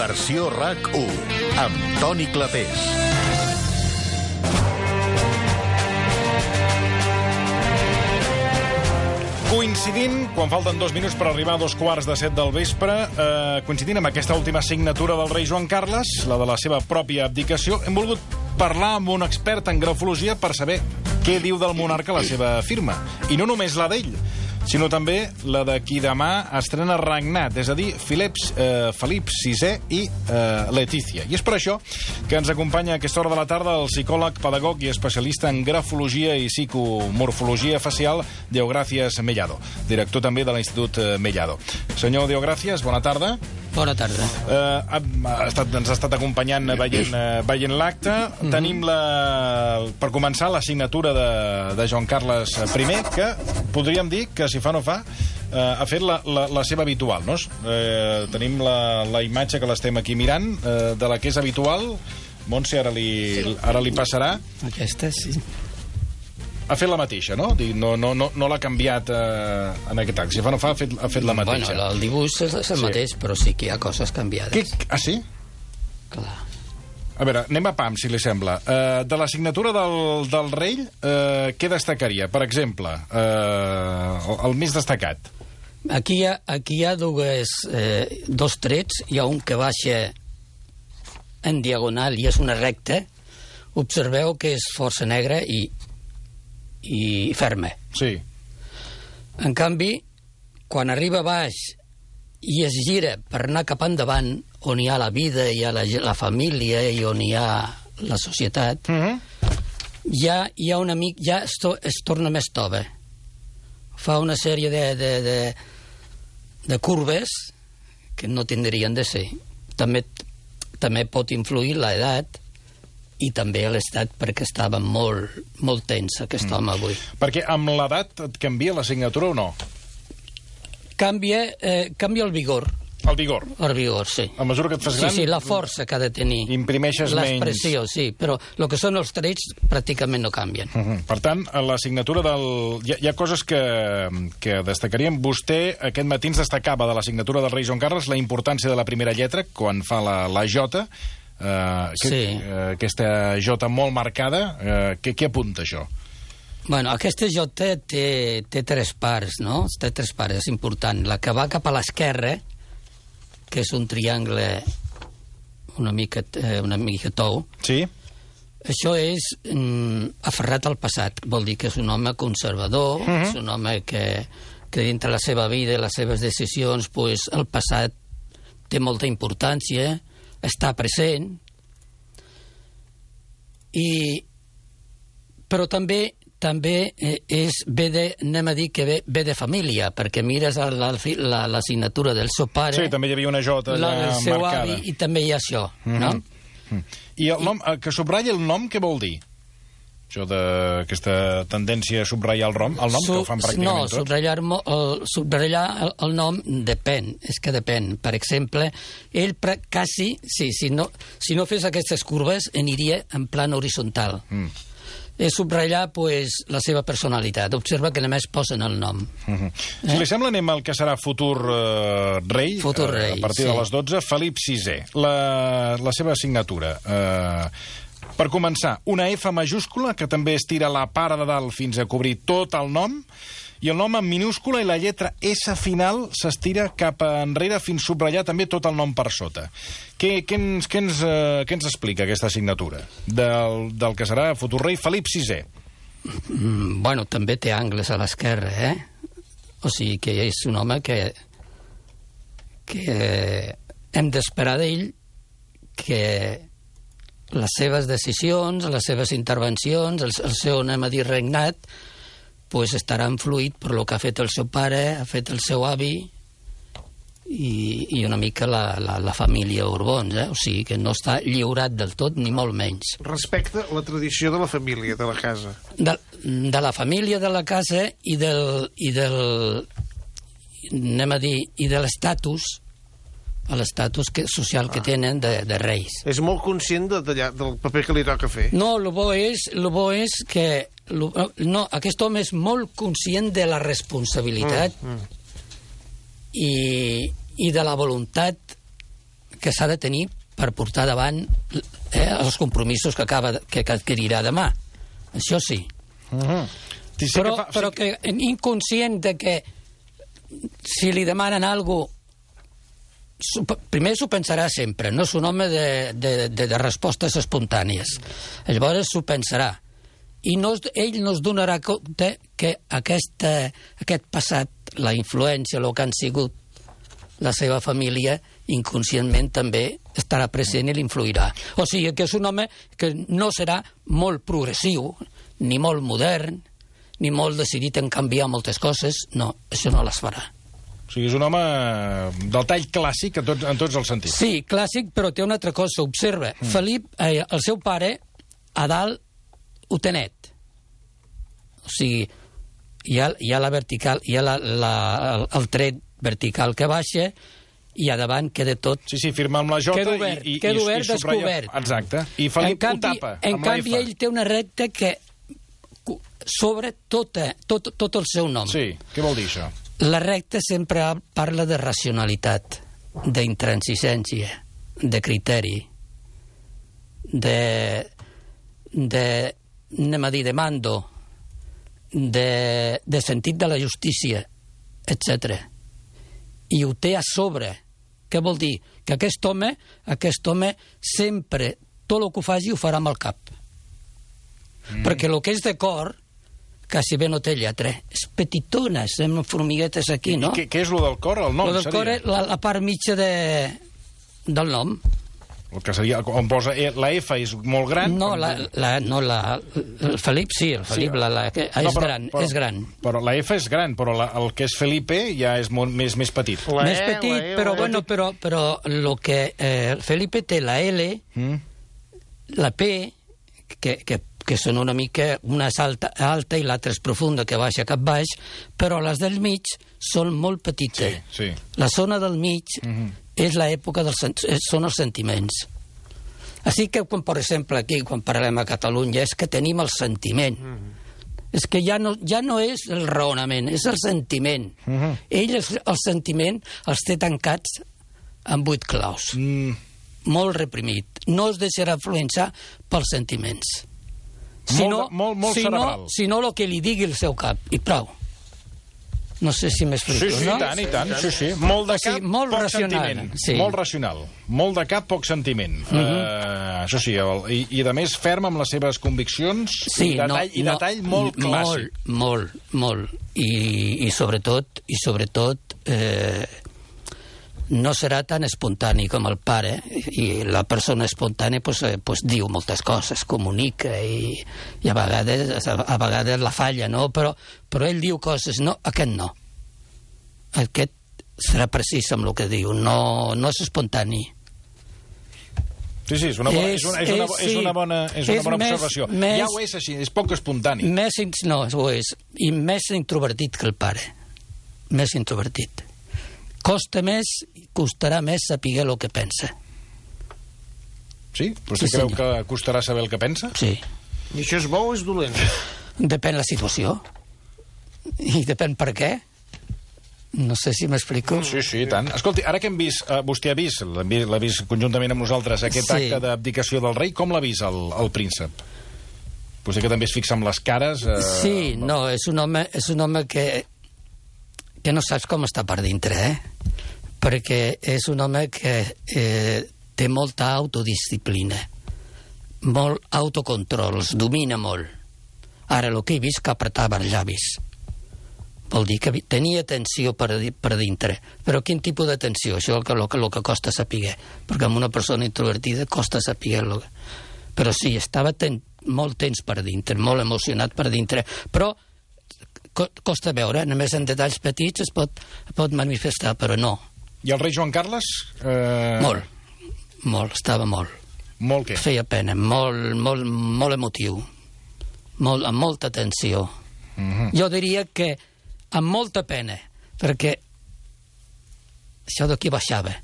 Versió RAC1 amb Toni Clapés. Coincidint, quan falten 2 minuts per arribar a 6:45 del vespre, coincidint amb aquesta última signatura del rei Joan Carles, la de la seva pròpia abdicació, hem volgut parlar amb un expert en grafologia per saber què diu del monarca la seva firma. I no només la d'ell, sinó també la de qui demà estrena regnat, és a dir, Felip VI i Letícia. I és per això que ens acompanya a aquesta hora de la tarda el psicòleg, pedagog i especialista en grafologia i psicomorfologia facial, Deogràcies Mellado, director també de l'Institut Mellado. Senyor Deogràcies, bona tarda. Bona tarda. Ens ha estat acompanyant veient l'acte. Tenim, per començar, la signatura de Joan Carles I, que podríem dir que, si fa no fa, ha fet la seva habitual, no? Tenim la imatge que l'estem aquí mirant, de la que és habitual. Montse, ara li passarà. Aquesta, sí. Ha fet la mateixa, no? No l'ha canviat en aquest acte. Si fa no fa, ha fet la mateixa. Bueno, el dibuix és el mateix, però sí que hi ha coses canviades. Ah, sí? Clar. A veure, anem a pam, si li sembla. De la signatura del rei, què destacaria? Per exemple, el més destacat. Aquí hi ha dos trets. Hi ha un que baixa en diagonal i és una recta. Observeu que és força negra i ferma. Sí. En canvi, quan arriba a baix i es gira per anar cap endavant, on hi ha la vida, hi ha la família i on hi ha la societat, ja hi ha una mica, ja es torna més tova. Fa una sèrie de curves que no tindrien de ser. També pot influir l'edat i també l'estat, perquè estava molt tens aquest home avui. Perquè amb l'edat et canvia la signatura o no? Canvia el vigor. El vigor? El vigor, sí. A mesura que et fas gran... Sí, la força que ha de tenir. Imprimeixes menys... L'expressió, sí, però el que són els trets pràcticament no canvien. Per tant, a la signatura del... Hi ha coses que destacaríem. Vostè aquest matí ens destacava de la signatura del rei Joan Carles la importància de la primera lletra, quan fa la J, sí. Aquesta J molt marcada. Què apunta això? Bueno, aquesta J té 3 parts, no? Té 3 parts, és important. La que va cap a l'esquerra, que és un triangle una mica tou. Sí. Això és aferrat al passat. Vol dir que és un home conservador, és un home que dintre la seva vida i les seves decisions, pues, el passat té molta importància, està present, però també anem a dir que ve de família, perquè mires la signatura del seu pare... Sí, també hi havia una J allà del seu marcada. Avi, i també hi ha això, no? I el nom, que subratlla el nom, què vol dir? Això d'aquesta tendència a subratllar el nom que ho fan pràcticament tots? Subratllar el nom depèn, és que depèn. Per exemple, ell quasi, si no fes aquestes curves, aniria en plan horitzontal. És subratllar, pues, la seva personalitat. Observa que només posen el nom. Si li sembla, anem al que serà futur rei, a partir de les 12, Felip VI. La seva signatura. Per començar, una F majúscula, que també estira la part de dalt fins a cobrir tot el nom, i el nom en minúscula i la lletra S final s'estira cap enrere fins a subratllar també tot el nom per sota. Què ens explica aquesta signatura del que serà futur rei Felip VI? Bueno, també té angles a l'esquerra, O sigui que és un home que hem d'esperar d'ell que les seves decisions, les seves intervencions, el seu, anem a dir, regnat, pues estarà influït per lo que ha fet el seu pare, ha fet el seu avi i una mica la família Borbons, O sigui que no està lliurat del tot, ni molt menys. Respecte a la tradició de la família, de la casa. De la família, de la casa i del anem a dir, i de l'estatus social que tenen de reis. És molt conscient del paper que li toca fer. No, el bo és que... No, aquest home és molt conscient de la responsabilitat i de la voluntat que s'ha de tenir per portar davant els compromisos que adquirirà demà. Això sí. Però que inconscient de que si li demanen alguna cosa, primer s'ho pensarà sempre, no és un home de respostes espontànies. Llavors s'ho pensarà. I ell no es donarà compte que aquest passat, la influència, el que han sigut la seva família, inconscientment també estarà present i l'influirà. O sigui que és un home que no serà molt progressiu, ni molt modern, ni molt decidit en canviar moltes coses. No, això no les farà. O sigui, és un home del tall clàssic en tots els sentits. Sí, clàssic, però té una altra cosa. Observa, Felip, el seu pare, a dalt, ho té net. O sigui, hi ha la vertical, hi ha el tret vertical que baixa i a davant queda tot... Sí, firma amb la J i descobert. Exacte. I Felip ho tapa amb la F. En canvi, ell té una recta que sobre tot el seu nom. Sí, què vol dir això? La recta sempre parla de racionalitat, d'intransigència, de criteri, anem a dir, de mando, de sentit de la justícia, etc. I ho té a sobre. Què vol dir? Que aquest home sempre, tot el que ho faci, ho farà amb el cap. Perquè el que és de cor, quasi bé no té lletra. És petitona, semblen formiguetes aquí, no? I què és el del cor? El nom, seria? El del cor és la part mitja del nom. El que seria, on posa la F és molt gran? No, el Felip sí, el Felip és gran. Però la F és gran, però el que és Felipe ja és més petit. Més petit, però bueno, però el que Felipe té la L, la P, que són una mica, una és alta i l'altra és profunda, que baixa cap baix, però les del mig són molt petites. Sí. La zona del mig és l'època són els sentiments. Així que, per exemple, aquí, quan parlem a Catalunya, és que tenim el sentiment. És que ja no és el raonament, és el sentiment. Ell, el sentiment, els té tancats amb 8 claus. Molt reprimit. No es deixarà influenciar pels sentiments. Molt cerebral. Sinó el que li digui el seu cap. I prou. No sé si m'explico, no? Sí, i tant. Sí. Molt de cap, molt poc racional, sentiment. Sí. Molt racional. Molt de cap, poc sentiment. Això sí, i a més ferm amb les seves conviccions, sí, i detall molt clàssic. Molt. I sobretot, no serà tan espontani com el pare, i la persona espontània pues diu moltes coses, comunica, i a vegades la falla, no? Però ell diu coses, no, aquest no. Aquest serà precís amb el que diu, no és espontani. Sí, és una bona observació. Ja ho és així, és poc espontani. No, ho és. I més introvertit que el pare. Més introvertit. Costarà més saber el que pensa. Sí? Vostè creu que costarà saber el que pensa? Sí. I això és bo o és dolent? Depèn la situació. I depèn per què. No sé si m'explico. Sí, i tant. Escolti, ara que hem vist, vostè l'ha vist conjuntament amb nosaltres, aquest acte d'abdicació del rei, com l'ha vist el príncep? Potser que també es fixa amb les cares... Sí, no, és un home que no saps com està per dintre, perquè és un home que té molta autodisciplina, molt autocontrol, els domina molt. Ara, el que he vist que apretava els llavis. Vol dir que tenia tensió per dintre. Però quin tipus de tensió? Això és el que costa saber, perquè amb una persona introvertida costa saber. Però sí, estava molt tens per dintre, molt emocionat per dintre, però costa veure, només en detalls petits es pot manifestar, però no. I el rei Joan Carles? Molt, estava molt. Molt què? Feia pena, molt emotiu, amb molta tensió. Jo diria que amb molta pena, perquè això d'aquí baixava.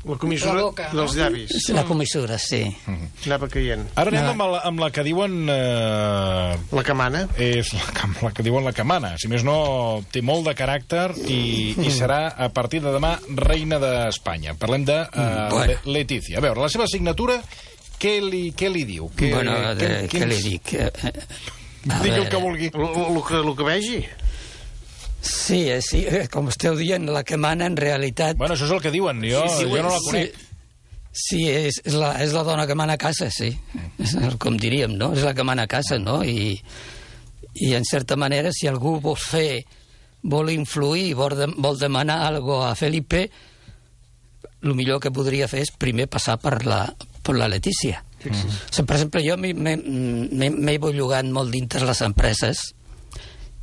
La comissura La boca, no? dels llavis. La comissura, sí. Anava caient. Ara anem amb la que diuen... La camana. És la que diuen la camana. Si més no, té molt de caràcter i serà, a partir de demà, reina d'Espanya. Parlem de Letícia. A veure, la seva signatura, què li diu? Què li dic? Digui el que vulgui. El que vegi. Sí, com esteu dient, la que mana en realitat... Bueno, això és el que diuen, jo no la conec. Sí, és la dona que mana a casa, sí. Com diríem, no? És la que mana a casa, no? I en certa manera, si algú vol influir, vol demanar alguna cosa a Felipe, el millor que podria fer és primer passar per la Letícia. Per exemple, jo m'he bellugat molt dintre les empreses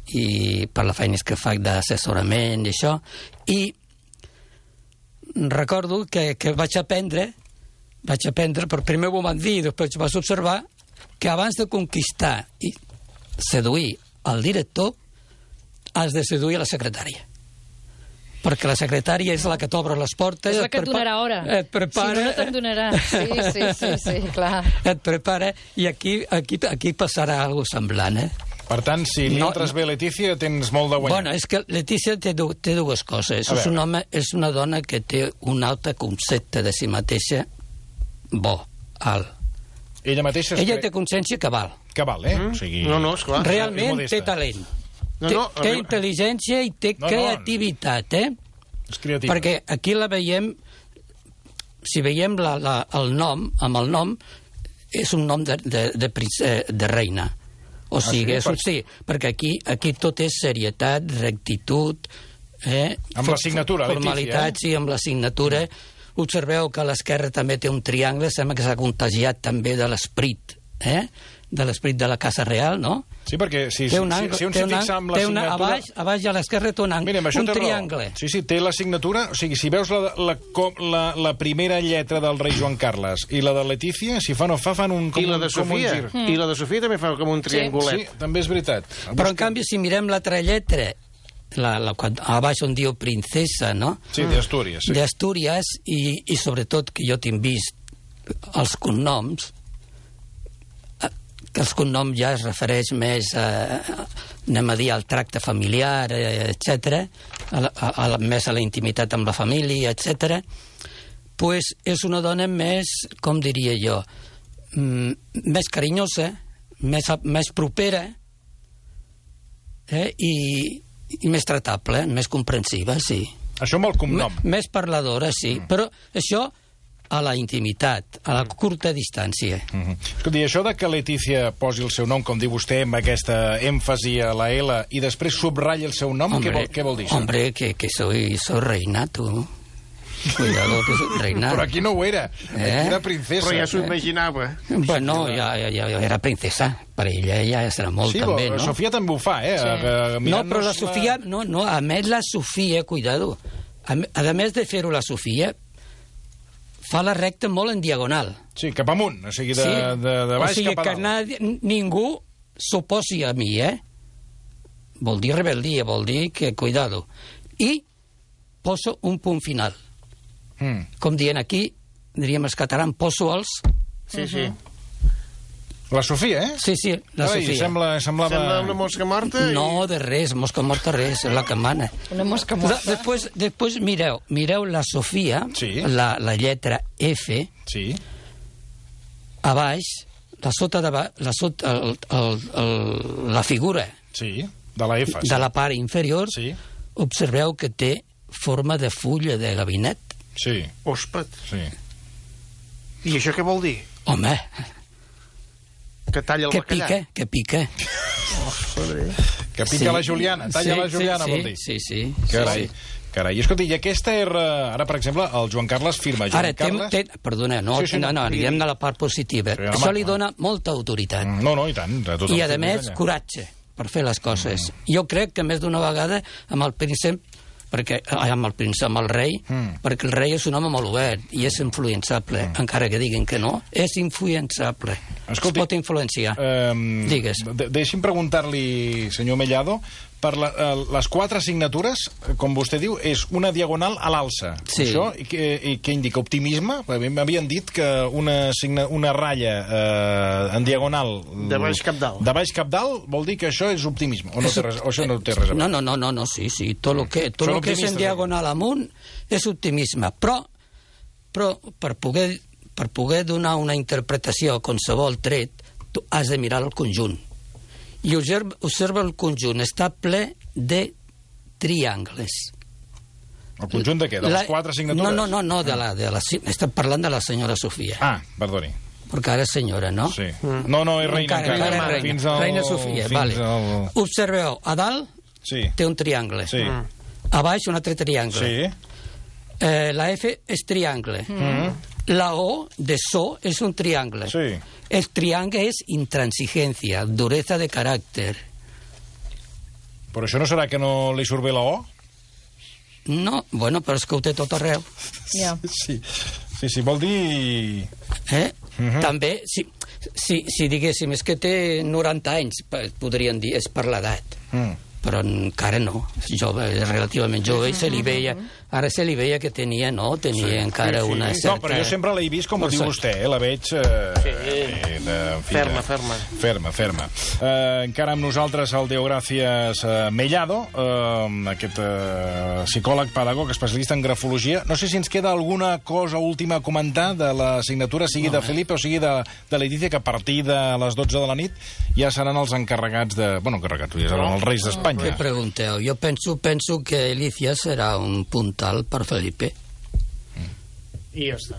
i per la feina que faig d'assessorament i això, i recordo que vaig aprendre, però primer ho van dir, després vas observar que abans de conquistar i seduir el director has de seduir la secretària, perquè la secretària és la que t'obre les portes, és la que et donarà hora, et prepara, si no te'n donarà. Sí, clar. Et prepara, i aquí passarà alguna semblant, Per tant, si li entres bé Letícia, tens molt de guanyar. Bueno, és que Letícia té dues coses. És una dona que té un altre concepte de si mateixa alt. Ella mateixa... Ella té consciència que val. Que val, O sigui... No, esclar. Realment té talent. Té intel·ligència i té creativitat, És creativa. Perquè aquí la veiem... Si veiem el nom, amb el nom, és un nom de reina. O sigui, sí, perquè aquí tot és serietat, rectitud... Amb la signatura, Letícia. Formalitat, sí, amb la signatura. Observeu que a l'esquerra també té un triangle, sembla que s'ha contagiat també de l'esperit, de l'esperit de la Casa Real, no? Sí, perquè si un s'hi fixa amb la signatura... A baix a l'esquerra té un triangle. Sí, té la signatura... O sigui, si veus la primera lletra del rei Joan Carles i la de Letícia, si fa no fa, fan un... I la de Sofia. I la de Sofia també fa com un triangulet. Sí, també és veritat. Però, en canvi, si mirem l'altra lletra, a baix on diu princesa, no? Sí, d'Astúries. Sí. D'Astúries, i sobretot que jo tinc vist els cognoms, que els cognoms ja es refereix més anem a dir, al tracte familiar, etc., més a la intimitat amb la família, etc., pues és una dona més, com diria jo, més carinyosa, més propera, i més tratable, més comprensiva, sí. Això amb el cognom. Més parladora, sí, però això a la intimitat, a la curta distància. Escolti, això de que Letícia posi el seu nom, com diu vostè, amb aquesta èmfasi a la L, i després subratlla el seu nom, què vol dir això? Hombre, que soy reina, tu. Cuidado, que soy reina. Però aquí no ho era, aquí era princesa. Però ja s'ho imaginava. Bueno, ja era princesa, per ella ja serà molt, també, no? Sí, Sofia també ho fa, No, però la Sofia, no, a més la Sofia, cuidado, a més de fer-ho la Sofia, fa la recta molt en diagonal. Sí, cap amunt, o sigui, de baix cap a dalt. Que ningú s'oposi a mi, Vol dir rebel·lia, vol dir que, cuidado. I poso un punt final. Com dient aquí, diríem els catalans, poso els... Sí. La Sofia, Sí, la Sofia. Semblava... Sembla una mosca morta? No, de res, mosca morta res, és la que mana. Una mosca morta. Després mireu la Sofia, la lletra F, a baix, la figura de la F, de la part inferior, observeu que té forma de fulla de gabinet. Sí. Òspet. Sí. I això què vol dir? Home... Que talla el bacallà. Que pica. Que pica la Juliana, talla la Juliana, vol dir. Sí. Carai, escolta, i aquesta era... Ara, per exemple, el Joan Carles firma. Perdona, no, anirem de la part positiva. Això li dona molta autoritat. No, i tant. I, a més, coratge per fer les coses. Jo crec que més d'una vegada amb el príncep, amb el rei, perquè el rei és un home molt obert i és influençable, encara que diguin que no, és influençable. Escolti, es pot influenciar. Digues. Deixi'm preguntar-li, senyor Mellado, per les 4 signatures, com vostè diu, és una diagonal a l'alça. Sí. Això, i què indica? Optimisme? M'havien dit que una ratlla en diagonal... De baix cap dalt. De baix cap dalt vol dir que això és optimisme. O això no té res a veure? No, sí. Tot el que és en diagonal amunt és optimisme. Però per poder donar una interpretació a qualsevol tret, tu has de mirar el conjunt. I observa el conjunt, està ple de triangles. El conjunt de què? De les 4 signatures? No, estem parlant de la senyora Sofia. Ah, perdoni. Perquè ara és senyora, no? Sí. No, és reina encara. Encara és reina. Reina Sofia, vale. Observeu, a dalt té un triangle. Sí. A baix un altre triangle. Sí. La F és triangle. La O de so és un triangle. Sí. El triangle és intransigencia, dureza de caràcter. Però això no serà que no li surt bé la O? No, bueno, però és que ho té tot arreu. Ja. Sí, vol dir... També, si diguéssim, és que té 90 anys, podrien dir, és per l'edat. Però encara no, és jove, és relativament jove, ara se li veia que tenia encara una certa... No, però jo sempre l'he vist com ho diu vostè, la veig... Ferma. Encara amb nosaltres el Deogràcies Mellado, aquest psicòleg, pedagog, especialista en grafologia. No sé si ens queda alguna cosa última a comentar de la signatura, sigui de Felipe o sigui de Letícia, que a partir de les 12 de la nit ja seran els encarregats de... Bueno, encarregats, ja seran els reis d'Espanya. Què pregunteu? Jo penso que Alicia serà un puntal per Felipe. I ja està.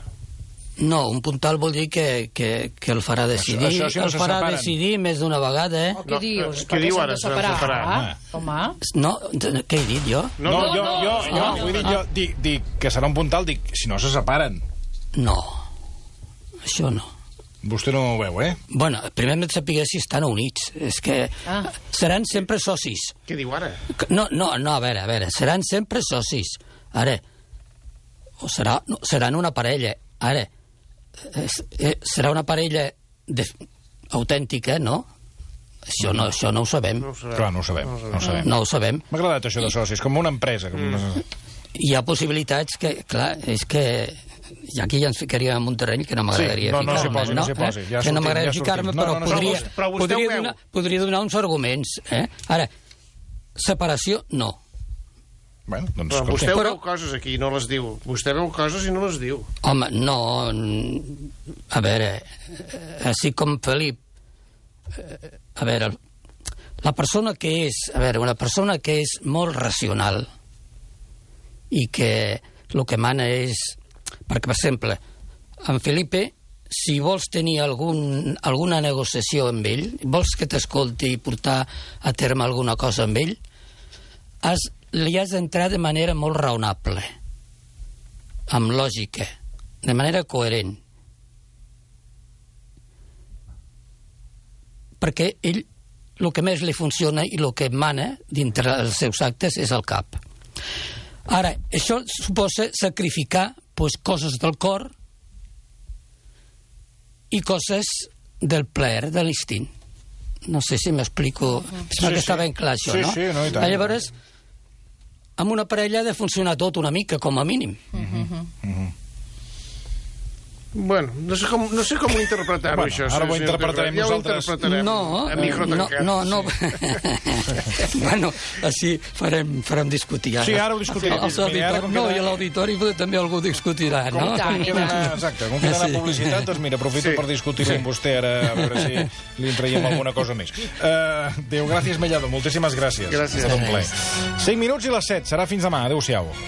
No, un puntal vol dir que el farà decidir. Això si no el se farà separen. decidir més d'una vegada, Oh, què dius? Què diu ara? S'han de separar. Home. No, què he dit jo? No, jo dic que serà un puntal, dic, si no se separen. No, això no. Vostè no ho veu, eh? Bueno, primer hem de saber si estan units. És que seran sempre socis. Què diu ara? No, a veure, seran sempre socis. Ara, o seran una parella. Ara, serà una parella autèntica, no? Això no ho sabem. Clar, no ho sabem. No ho sabem. M'ha agradat això de socis, com una empresa. Hi ha possibilitats que, clar, és que... I aquí ja ens ficaríem en un terreny que no m'agradaria ficar-me. No s'hi posi. Que no m'agradaria ficar-me, però podria donar uns arguments. Ara, separació, no. Bueno, doncs... Però vostè veu coses aquí i no les diu. Vostè veu coses i no les diu. Home, no... A veure, així com Felip... A veure, la persona que és... A veure, una persona que és molt racional i que el que mana és... Perquè, per exemple, en Felipe, si vols tenir alguna negociació amb ell, vols que t'escolti i portar a terme alguna cosa amb ell, li has d'entrar de manera molt raonable, amb lògica, de manera coherent. Perquè ell, el que més li funciona i el que mana dintre els seus actes és el cap. Ara, això suposa sacrificar coses del cor i coses del plaer, de l'instint. No sé si m'explico. Sembla que està ben clar, això, no? Sí, no, i tant. Llavors, amb una parella ha de funcionar tot una mica, com a mínim. Bueno, no sé com interpretar-ho, això. Ara ho interpretarem nosaltres. Ja ho interpretarem a micro tancat. No. Bueno, així farem discutir. Sí, ara ho discutirem. No, i a l'auditori també algú discutirà, no? Exacte, com queda la publicitat, doncs mira, aprofito per discutir-ho amb vostè ara, a veure si li traiem alguna cosa més. Deogràcies Mellado, moltíssimes gràcies. Gràcies. Ha estat un plaer. 5 minuts i les 7, serà fins demà. Adéu-siau.